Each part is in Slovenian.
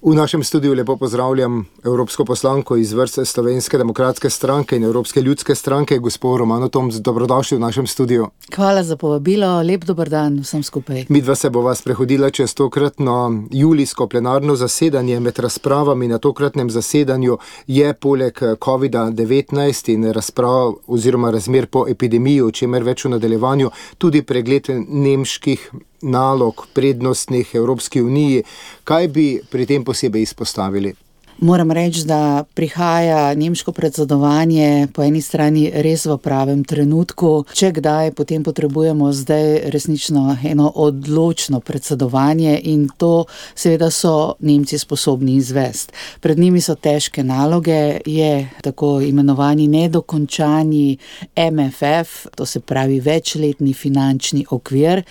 V našem studiu lepo pozdravljam evropsko poslanko iz vrst Slovenske demokratske stranke in Evropske ljudske stranke, gospo Romano Tomc. Dobrodošli v našem studiu. Hvala za povabilo, lep dober dan vsem skupaj. Midva se bova sprehodila čez tokratno julijsko plenarno zasedanje. Med razpravami na tokratnem zasedanju je poleg COVID-19 in razprav oziroma razmer po epidemiji, o čemer več v nadaljevanju, tudi pregled nemških nalog prednostnih Evropski uniji. Kaj bi pri tem posebej izpostavili? Moram reči, da prihaja nemško predsedovanje po eni strani res v pravem trenutku. Če kdaj, potem potrebujemo zdaj resnično eno odločno predsedovanje in to seveda so Nemci sposobni izvesti. Pred njimi so težke naloge, je tako imenovani nedokončani MFF, to se pravi večletni finančni okvir.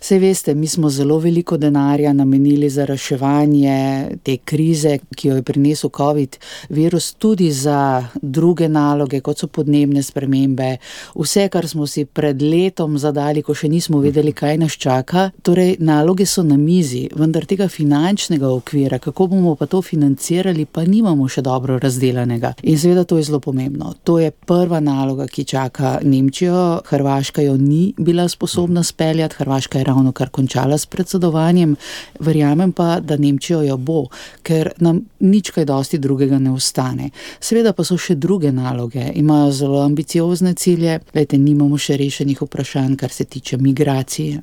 Saj veste, mi smo zelo veliko denarja namenili za reševanje te krize, ki jo je prinesel COVID virus, tudi za druge naloge, kot so podnebne spremembe, vse, kar smo si pred letom zadali, ko še nismo vedeli, kaj nas čaka. Torej, naloge so na mizi, vendar tega finančnega okvira, kako bomo pa to financirali, pa nimamo še dobro razdelanega. In seveda to je zelo pomembno. To je prva naloga, ki čaka Nemčijo. Hrvaška jo ni bila sposobna speljati, Hrvaška je ravno kar končala s predsedovanjem. Verjamem pa, da Nemčijo jo bo, ker nam nič kaj dosti drugega ne ostane. Seveda pa so še druge naloge, imajo zelo ambiciozne cilje, nimamo še rešenih vprašanj, kar se tiče migracij,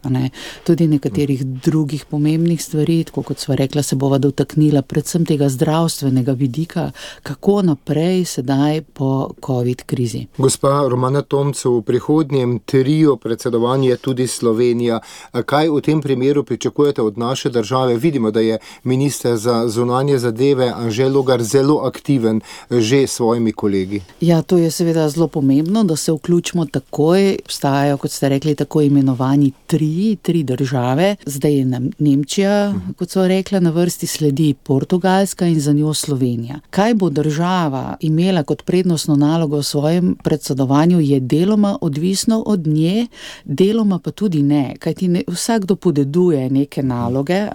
tudi nekaterih drugih pomembnih stvari, tako kot sva rekla, se bova dotaknila predvsem tega zdravstvenega vidika, kako naprej sedaj po COVID krizi. Gospa Romana Tomc, v prihodnjem trio predsedovanja je tudi Slovenija. Kaj v tem primeru pričakujete od naše države? Vidimo, da je minister za zunanje zadeve Anže Logar zelo aktiven že s svojimi kolegi. Ja, to je seveda zelo pomembno, da se vključimo takoj. Obstajajo, kot ste rekli, tako imenovani tri države. Zdaj je Nemčija, kot so rekla, na vrsti sledi Portugalska in za njo Slovenija. Kaj bo država imela kot prednostno nalogo v svojem predsedovanju, je deloma odvisno od nje, deloma pa tudi ne. Kajti vsakdo podeduje neke naloge,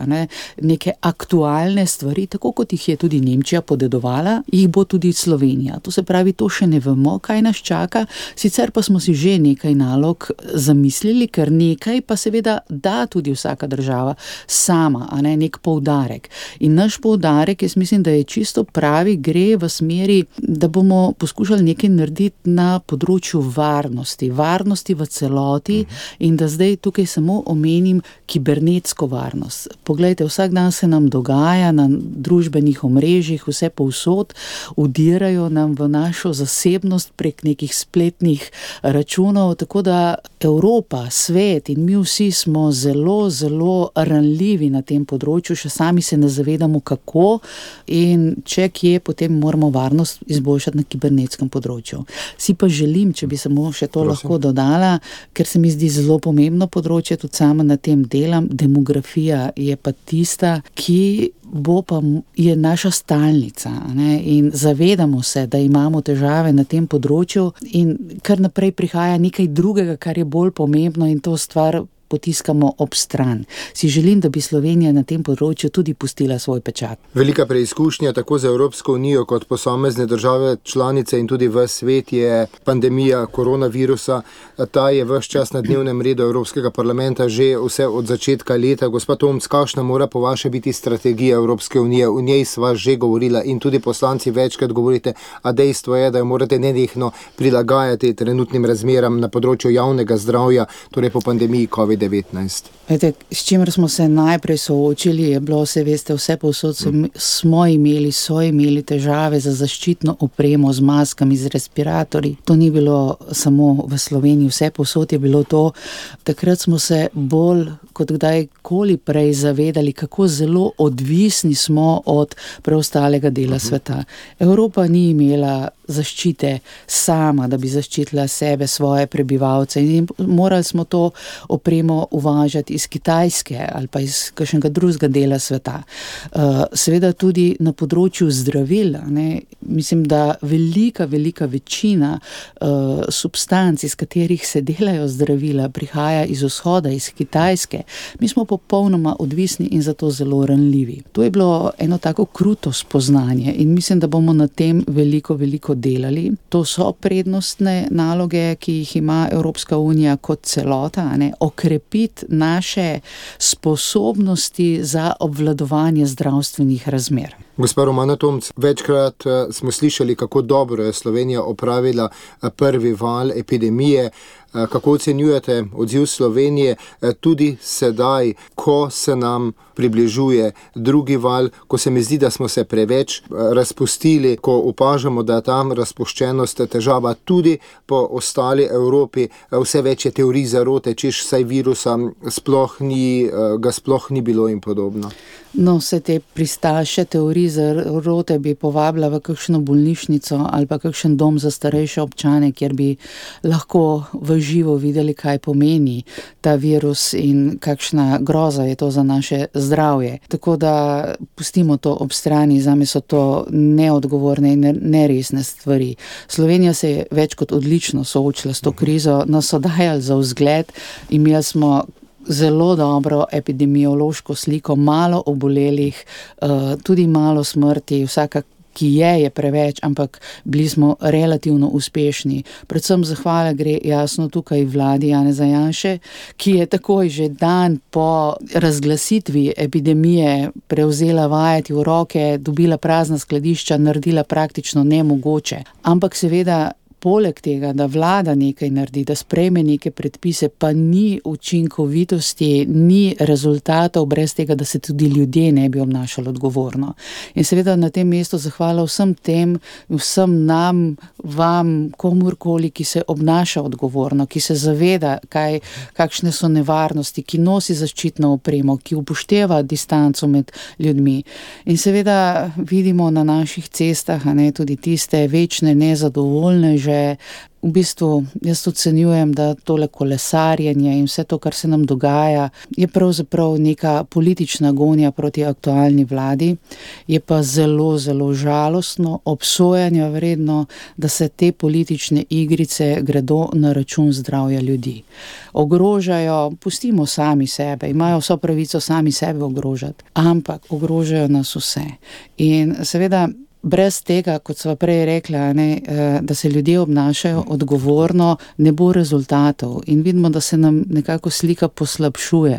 neke aktualne stvari, tako kot jih je tudi Nemčija podedovala, jih bo tudi Slovenija. To se pravi, to še ne vemo, kaj nas čaka, sicer pa smo si že nekaj nalog zamislili, ker nekaj pa seveda da tudi vsaka država sama, nek poudarek. In naš poudarek, jaz mislim, da je čisto pravi, gre v smeri, da bomo poskušali nekaj narediti na področju varnosti v celoti in da zdaj tukaj samo omenim kibernetsko varnost. Poglejte, vsak dan se nam dogaja na družbenih omrežjih, vse povsod, vdirajo nam v našo zasebnost prek nekih spletnih računov, tako da Evropa, svet in mi vsi smo zelo, zelo ranljivi na tem področju, še sami se ne zavedamo kako in če kje, potem moramo varnost izboljšati na kibernetskem področju. Si pa želim, če bi samo še to lahko dodala, ker se mi zdi zelo pomembno področje, tudi sama na tem delam, demografija je pa tista, ki je naša stalnica, in zavedamo se, da imamo težave na tem področju in kar naprej prihaja nekaj drugega, kar je bolj pomembno in to stvar potiskamo ob stran. Si želim, da bi Slovenija na tem področju tudi pustila svoj pečat. Velika preizkušnja tako za Evropsko unijo kot posamezne države članice in tudi v svet je pandemija koronavirusa. Ta je ves čas na dnevnem redu Evropskega parlamenta že vse od začetka leta. Gospa Tomc, kakšna mora po vaše biti strategija Evropske unije? V njej sva že govorila in tudi poslanci večkrat govorite, a dejstvo je, da jo morate nenehno prilagajati trenutnim razmeram na področju javnega zdravja, torej po pandemiji COVID-19. S čimer smo se najprej soočili, je bilo, vse povsod so imeli težave za zaščitno opremo z maskami, z respiratorji. To ni bilo samo v Sloveniji, vse povsod je bilo to. Takrat smo se bolj kot kdajkoli prej zavedali, kako zelo odvisni smo od preostalega dela sveta. Evropa ni imela zaščite sama, da bi zaščitila sebe, svoje prebivalce in morali smo to opremo uvažati iz Kitajske ali pa iz kakšnega drugega dela sveta. Seveda tudi na področju zdravil, mislim, da velika večina substanc, iz katerih se delajo zdravila, prihaja iz vzhoda, iz Kitajske. Mi smo popolnoma odvisni in zato zelo ranljivi. To je bilo eno tako kruto spoznanje in mislim, da bomo na tem veliko delali. To so prednostne naloge, ki jih ima Evropska unija kot celota, okrepiti naše sposobnosti za obvladovanje zdravstvenih razmer. Gospa Romana Tomc, večkrat smo slišali, kako dobro je Slovenija opravila prvi val epidemije. Kako ocenjujete odziv Slovenije tudi sedaj, ko se nam približuje drugi val, ko se mi zdi, da smo se preveč razpustili, ko opažamo, da je tam razpuščenost težava tudi po ostali Evropi, vse več je teorij zarote, češ saj virusa ga sploh ni bilo in podobno. No, vse te pristaše teorij zarote bi povabila v kakšno bolnišnico ali pa kakšen dom za starejše občane, kjer bi lahko v živo videli, kaj pomeni ta virus in kakšna groza je to za naše zdravje. Tako da pustimo to ob strani, zame so to neodgovorne in neresne stvari. Slovenija se je več kot odlično soočila s to krizo, nas so dajali za vzgled, imeli smo zelo dobro epidemiološko sliko, malo obolelih, tudi malo smrti, vsaka, ki je preveč, ampak bili smo relativno uspešni. Predvsem zahvala gre jasno tukaj vladi Janeza Janše, ki je takoj že dan po razglasitvi epidemije prevzela vajeti v roke, dobila prazna skladišča, naredila praktično nemogoče. Ampak seveda poleg tega, da vlada nekaj naredi, da sprejme neke predpise, pa ni učinkovitosti, ni rezultatov brez tega, da se tudi ljudje ne bi obnašali odgovorno. In seveda na tem mestu zahvala vsem tem, vsem nam, vam, komurkoli, ki se obnaša odgovorno, ki se zaveda, kakšne so nevarnosti, ki nosi zaščitno opremo, ki upošteva distanco med ljudmi. In seveda vidimo na naših cestah, tudi tiste večne nezadovoljneže. V bistvu jaz ocenjujem, da tole kolesarjenje in vse to, kar se nam dogaja, je pravzaprav neka politična gonja proti aktualni vladi. Je pa zelo žalostno, obsojanja vredno, da se te politične igrice gredo na račun zdravja ljudi. Ogrožajo, pustimo sami sebe, imajo vso pravico sami sebe ogrožati, ampak ogrožajo nas vse. In seveda brez tega, kot sva prej rekla, da se ljudje obnašajo odgovorno, ne bo rezultatov. In vidimo, da se nam nekako slika poslabšuje.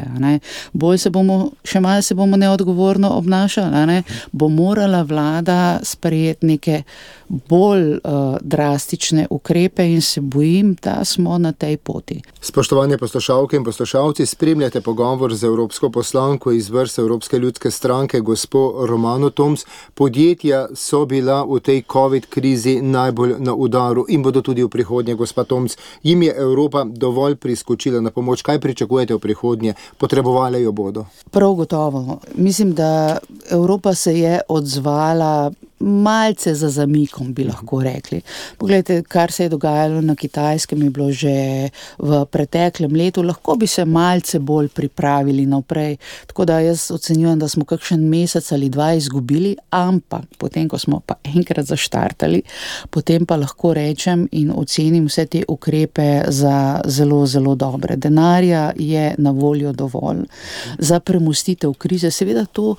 Še malo se bomo neodgovorno obnašali, bo morala vlada sprejeti neke bolj drastične ukrepe in se bojim, da smo na tej poti. Spoštovane poslušalke in poslušalci, spremljate pogovor z evropsko poslanko iz vrst Evropske ljudske stranke, gospo Romano Tomc. Podjetja so bila v tej COVID krizi najbolj na udaru in bodo tudi v prihodnje, gospa Tomc. Jim je Evropa dovolj priskočila na pomoč? Kaj pričakujete v prihodnje? Potrebovali jo bodo? Prav gotovo. Mislim, da Evropa se je odzvala malce za zamikom, bi lahko rekli. Poglejte, kar se je dogajalo na Kitajskem, je bilo že v preteklem letu, lahko bi se malce bolj pripravili naprej. Tako da jaz ocenjujem, da smo kakšen mesec ali dva izgubili, ampak potem, ko smo pa enkrat zaštartali, potem pa lahko rečem in ocenim vse te ukrepe za zelo dobre. Denarja je na voljo dovolj za premostitev krize. Seveda to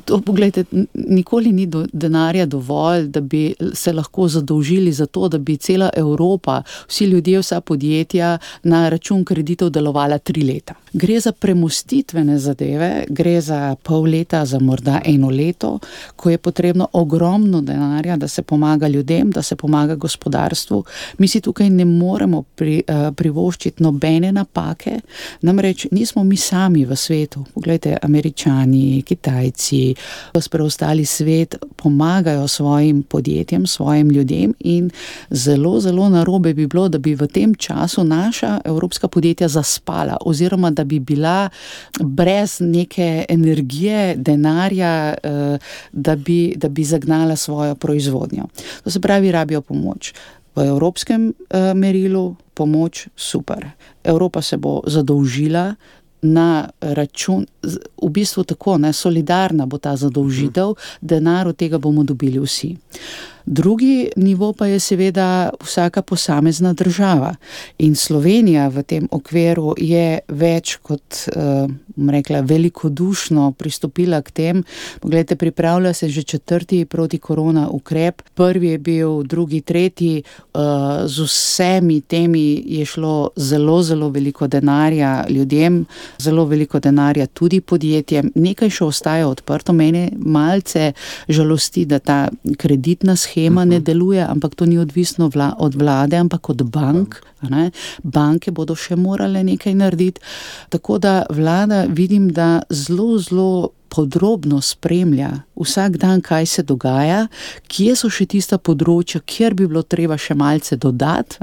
pogledajte, nikoli ni denarja dovolj, da bi se lahko zadolžili za to, da bi cela Evropa, vsi ljudje, vsa podjetja na račun kreditov delovala 3 leta. Gre za premostitvene zadeve, gre za pol leta, za morda 1 leto, ko je potrebno ogromno denarja, da se pomaga ljudem, da se pomaga gospodarstvu. Mi si tukaj ne moremo privoščiti nobene napake, namreč nismo mi sami v svetu. Poglejte, Američani, Kitajci, ki v preostali svet pomagajo svojim podjetjem, svojim ljudem in zelo, zelo narobe bi bilo, da bi v tem času naša evropska podjetja zaspala oziroma da bi bila brez neke energije, denarja, da bi zagnala svojo proizvodnjo. To se pravi, rabijo pomoč. V evropskem merilu pomoč super. Evropa se bo zadolžila na račun, v bistvu tako, solidarna bo ta zadolžitev, denar od tega bomo dobili vsi. Drugi nivo pa je seveda vsaka posamezna država in Slovenija v tem okviru je več kot, rekla, velikodušno pristopila k tem. Poglejte, pripravlja se že 4. protikorona ukrep, prvi je bil, drugi, tretji, z vsemi temi je šlo zelo, zelo veliko denarja ljudem, zelo veliko denarja tudi podjetjem, nekaj še ostaja odprto, mene malce žalosti, da ta kreditna schema ne deluje, ampak to ni odvisno od vlade, ampak od bank. Banke bodo še morale nekaj narediti. Tako da vlada vidim, da zelo, zelo podrobno spremlja vsak dan, kaj se dogaja, kje so še tista področja, kjer bi bilo treba še malce dodati,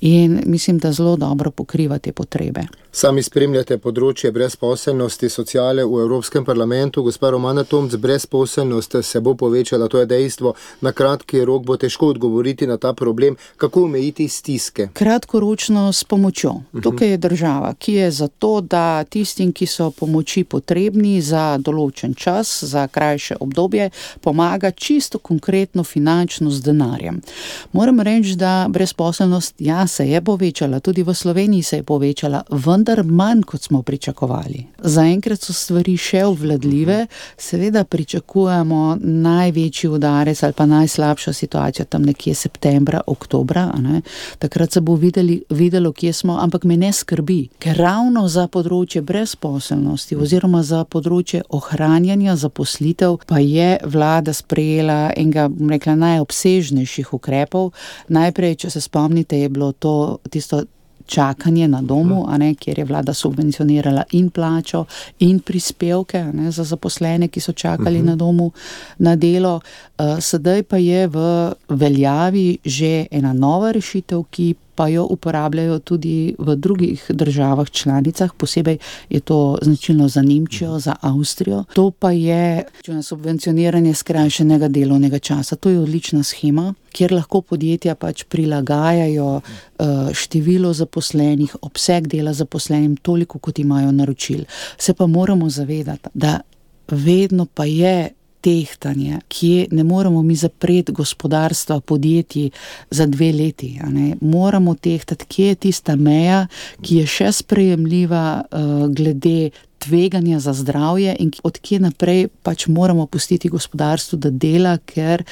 in mislim, da zelo dobro pokriva te potrebe. Sami spremljate področje brezposelnosti, sociale v Evropskem parlamentu. Gospa Romana Tomc, brezposelnost se bo povečala, to je dejstvo. Na kratki rok bo težko odgovoriti na ta problem. Kako omejiti stiske? Kratkoročno s pomočjo. Tukaj je država, ki je za to, da tistim, ki so pomoči potrebni za določen čas, za krajše obdobje, pomaga čisto konkretno finančno z denarjem. Moram reči, da brezposelnost, se je povečala, tudi v Sloveniji se je povečala, vendar manj, kot smo pričakovali. Zaenkrat so stvari še obvladljive, seveda pričakujemo največji udarec ali pa najslabša situacija tam nekje septembra, oktobra, takrat se bo videlo, kje smo, ampak me ne skrbi, ker ravno za področje brezposelnosti oziroma za področje ohranjanja zaposlitev pa je vlada sprejela enega, rekla, najobsežnejših ukrepov. Najprej, če se spomnite, je bilo tisto čakanje na domu, kjer je vlada subvencionirala in plačo in prispevke za zaposlene, ki so čakali na domu na delo. Sedaj pa je v veljavi že ena nova rešitev, ki pa jo uporabljajo tudi v drugih državah članicah, posebej je to značilno za Nemčijo, za Avstrijo. To pa je subvencioniranje skrajšanega delovnega časa. To je odlična shema, kjer lahko podjetja prilagajajo število zaposlenih, obseg dela zaposlenim toliko, kot imajo naročil. Se pa moramo zavedati, da vedno pa je tehtanje, kje ne moramo mi zapreti gospodarstva, podjetij za 2 leti. Moramo tehtati, kje je tista meja, ki je še sprejemljiva glede tveganja za zdravje in od kje naprej moramo pustiti gospodarstvu, da dela, ker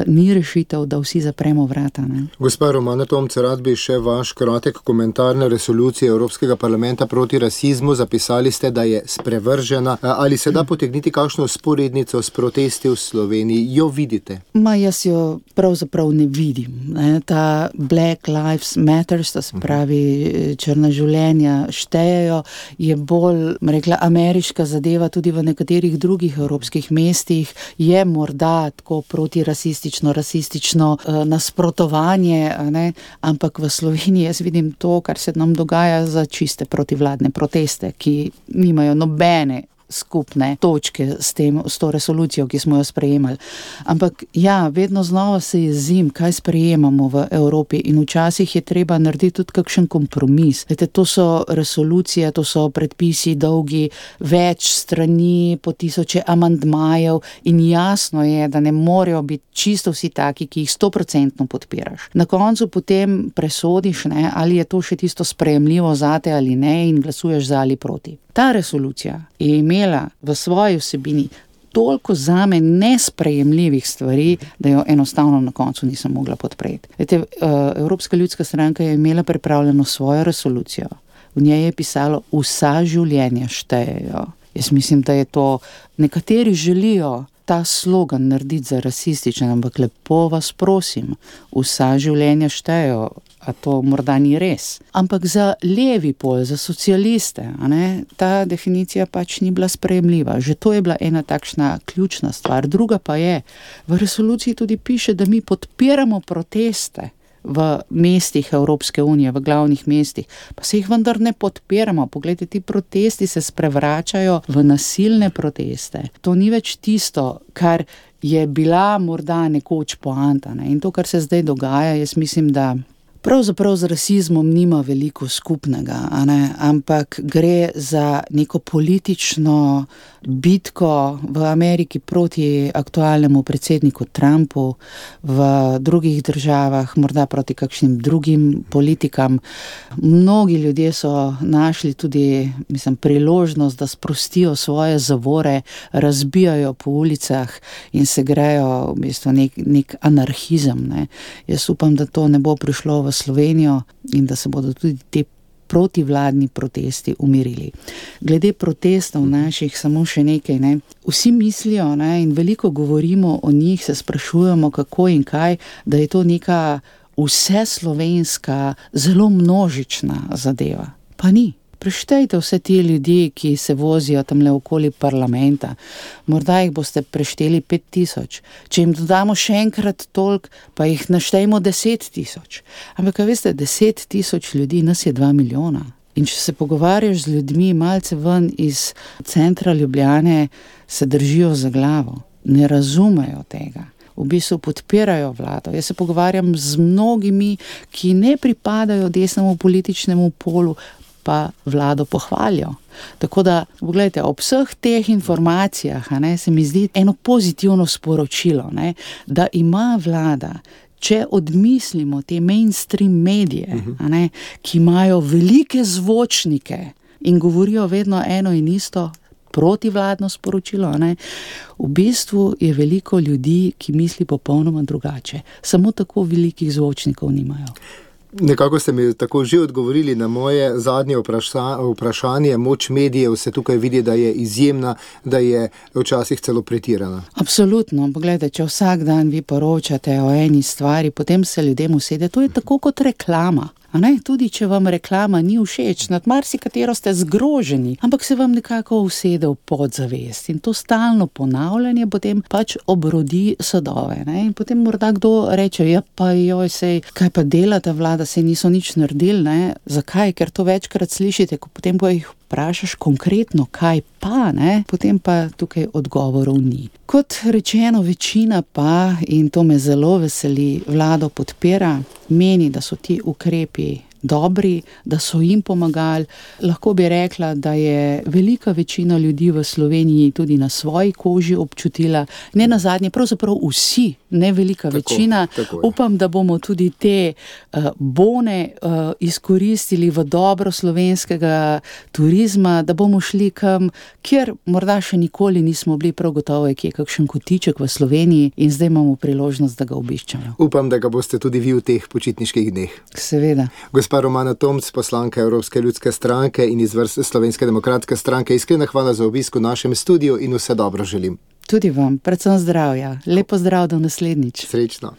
ni rešitev, da vsi zapremo vrata. Gospa Romana Tomc, rad bi še vaš kratek komentar na resolucijo Evropskega parlamenta proti rasizmu. Zapisali ste, da je sprevržena. Ali se da potegniti kakšno sporednico s protesti v Sloveniji? Jo vidite? Jaz jo pravzaprav ne vidim. Ta Black Lives Matter, to se pravi črna življenja štejejo, je bolj, ameriška zadeva, tudi v nekaterih drugih evropskih mestih je morda tako protirasistično, rasistično nasprotovanje, ampak v Sloveniji jaz vidim to, kar se nam dogaja za čiste protivladne proteste, ki nimajo nobene skupne točke s to resolucijo, ki smo jo sprejemali. Ampak vedno znova se jezim, kaj sprejemamo v Evropi in včasih je treba narediti tudi kakšen kompromis. To so resolucije, to so predpisi dolgi, več strani, po 1000 amandmajev in jasno je, da ne morejo biti čisto vsi taki, ki jih 100% podpiraš. Na koncu potem presodiš, ali je to še tisto sprejemljivo zate ali ne in glasuješ za ali proti. Ta resolucija je imela v svoji vsebini toliko zame nesprejemljivih stvari, da jo enostavno na koncu nisem mogla podpreti. Evropska ljudska stranka je imela pripravljeno svojo resolucijo. V njej je pisalo, vsa življenja štejejo. Jaz mislim, da je to, nekateri želijo ta slogan narediti za rasističen, ampak lepo vas prosim, vsa življenja štejo, a to morda ni res. Ampak za levi pol, za socialiste, ta definicija pač ni bila sprejemljiva. Že to je bila ena takšna ključna stvar. Druga pa je, v resoluciji tudi piše, da mi podpiramo proteste v mestih Evropske unije, v glavnih mestih, pa se jih vendar ne podpiramo. Poglejte, ti protesti se sprevračajo v nasilne proteste. To ni več tisto, kar je bila morda nekoč poanta. In to, kar se zdaj dogaja, jaz mislim, da pravzaprav z rasizmom nima veliko skupnega, ampak gre za neko politično bitko v Ameriki proti aktualnemu predsedniku Trumpu, v drugih državah, morda proti kakšnim drugim politikam. Mnogi ljudje so našli tudi, priložnost, da sprostijo svoje zavore, razbijajo po ulicah in se grejo v bistvu nek anarhizem. Jaz upam, da to ne bo prišlo v Slovenijo in da se bodo tudi te protivladni protesti umirili. Glede protestov naših samo še nekaj. Vsi mislijo in veliko govorimo o njih, se sprašujemo kako in kaj, da je to neka vseslovenska, zelo množična zadeva. Pa ni. Preštejte vse ti ljudi, ki se vozijo tamle okoli parlamenta. Morda jih boste prešteli 5000. Če jim dodamo še enkrat toliko, pa jih naštejmo 10 000. Ampak, veste, 10 000 ljudi, nas je 2 milijona. In če se pogovarjaš z ljudmi malce ven iz centra Ljubljane, se držijo za glavo. Ne razumejo tega. V bistvu podpirajo vlado. Jaz se pogovarjam z mnogimi, ki ne pripadajo desnemu političnemu polu, pa vlado pohvalijo. Tako da, pogledajte, ob vseh teh informacijah se mi zdi eno pozitivno sporočilo, da ima vlada, če odmislimo te mainstream medije, ki imajo velike zvočnike in govorijo vedno eno in isto, protivladno sporočilo, v bistvu je veliko ljudi, ki misli popolnoma drugače. Samo tako velikih zvočnikov nimajo. Nekako ste mi tako že odgovorili na moje zadnje vprašanje. Moč medijev se tukaj vidi, da je izjemna, da je včasih celo pretirana. Absolutno. Poglejte, če vsak dan vi poročate o eni stvari, potem se ljudem usede. To je tako kot reklama. Tudi če vam reklama ni všeč, nad marsikatero ste zgroženi, ampak se vam nekako usede v podzavest. In to stalno ponavljanje potem pač obrodi sadove. In potem morda kdo reče, ja pa joj, sej, kaj pa dela ta vlada, sej niso nič naredili. Zakaj? Ker to večkrat slišite, potem ko jih vprašaš konkretno, kaj pa, potem pa tukaj odgovorov ni. Kot rečeno, večina pa, in to me zelo veseli, vlado podpira, meni, da so ti ukrepi dobri, da so jim pomagali. Lahko bi rekla, da je velika večina ljudi v Sloveniji tudi na svoji koži občutila, ne nazadnje, pravzaprav vsi, ne velika večina. Upam, da bomo tudi te bone izkoristili v dobro slovenskega turizma, da bomo šli kam, kjer morda še nikoli nismo bili, prav gotovo je kje kakšen kotiček v Sloveniji in zdaj imamo priložnost, da ga obiščemo. Upam, da ga boste tudi vi v teh počitniških dneh. Seveda. Gospa Romana Tomc, poslanka Evropske ljudske stranke in iz vrst Slovenske demokratske stranke, iskrena hvala za obisk v našem studiu in vse dobro želim. Tudi vam, predvsem zdravja. Lepo zdrav do naslednjič. Srečno.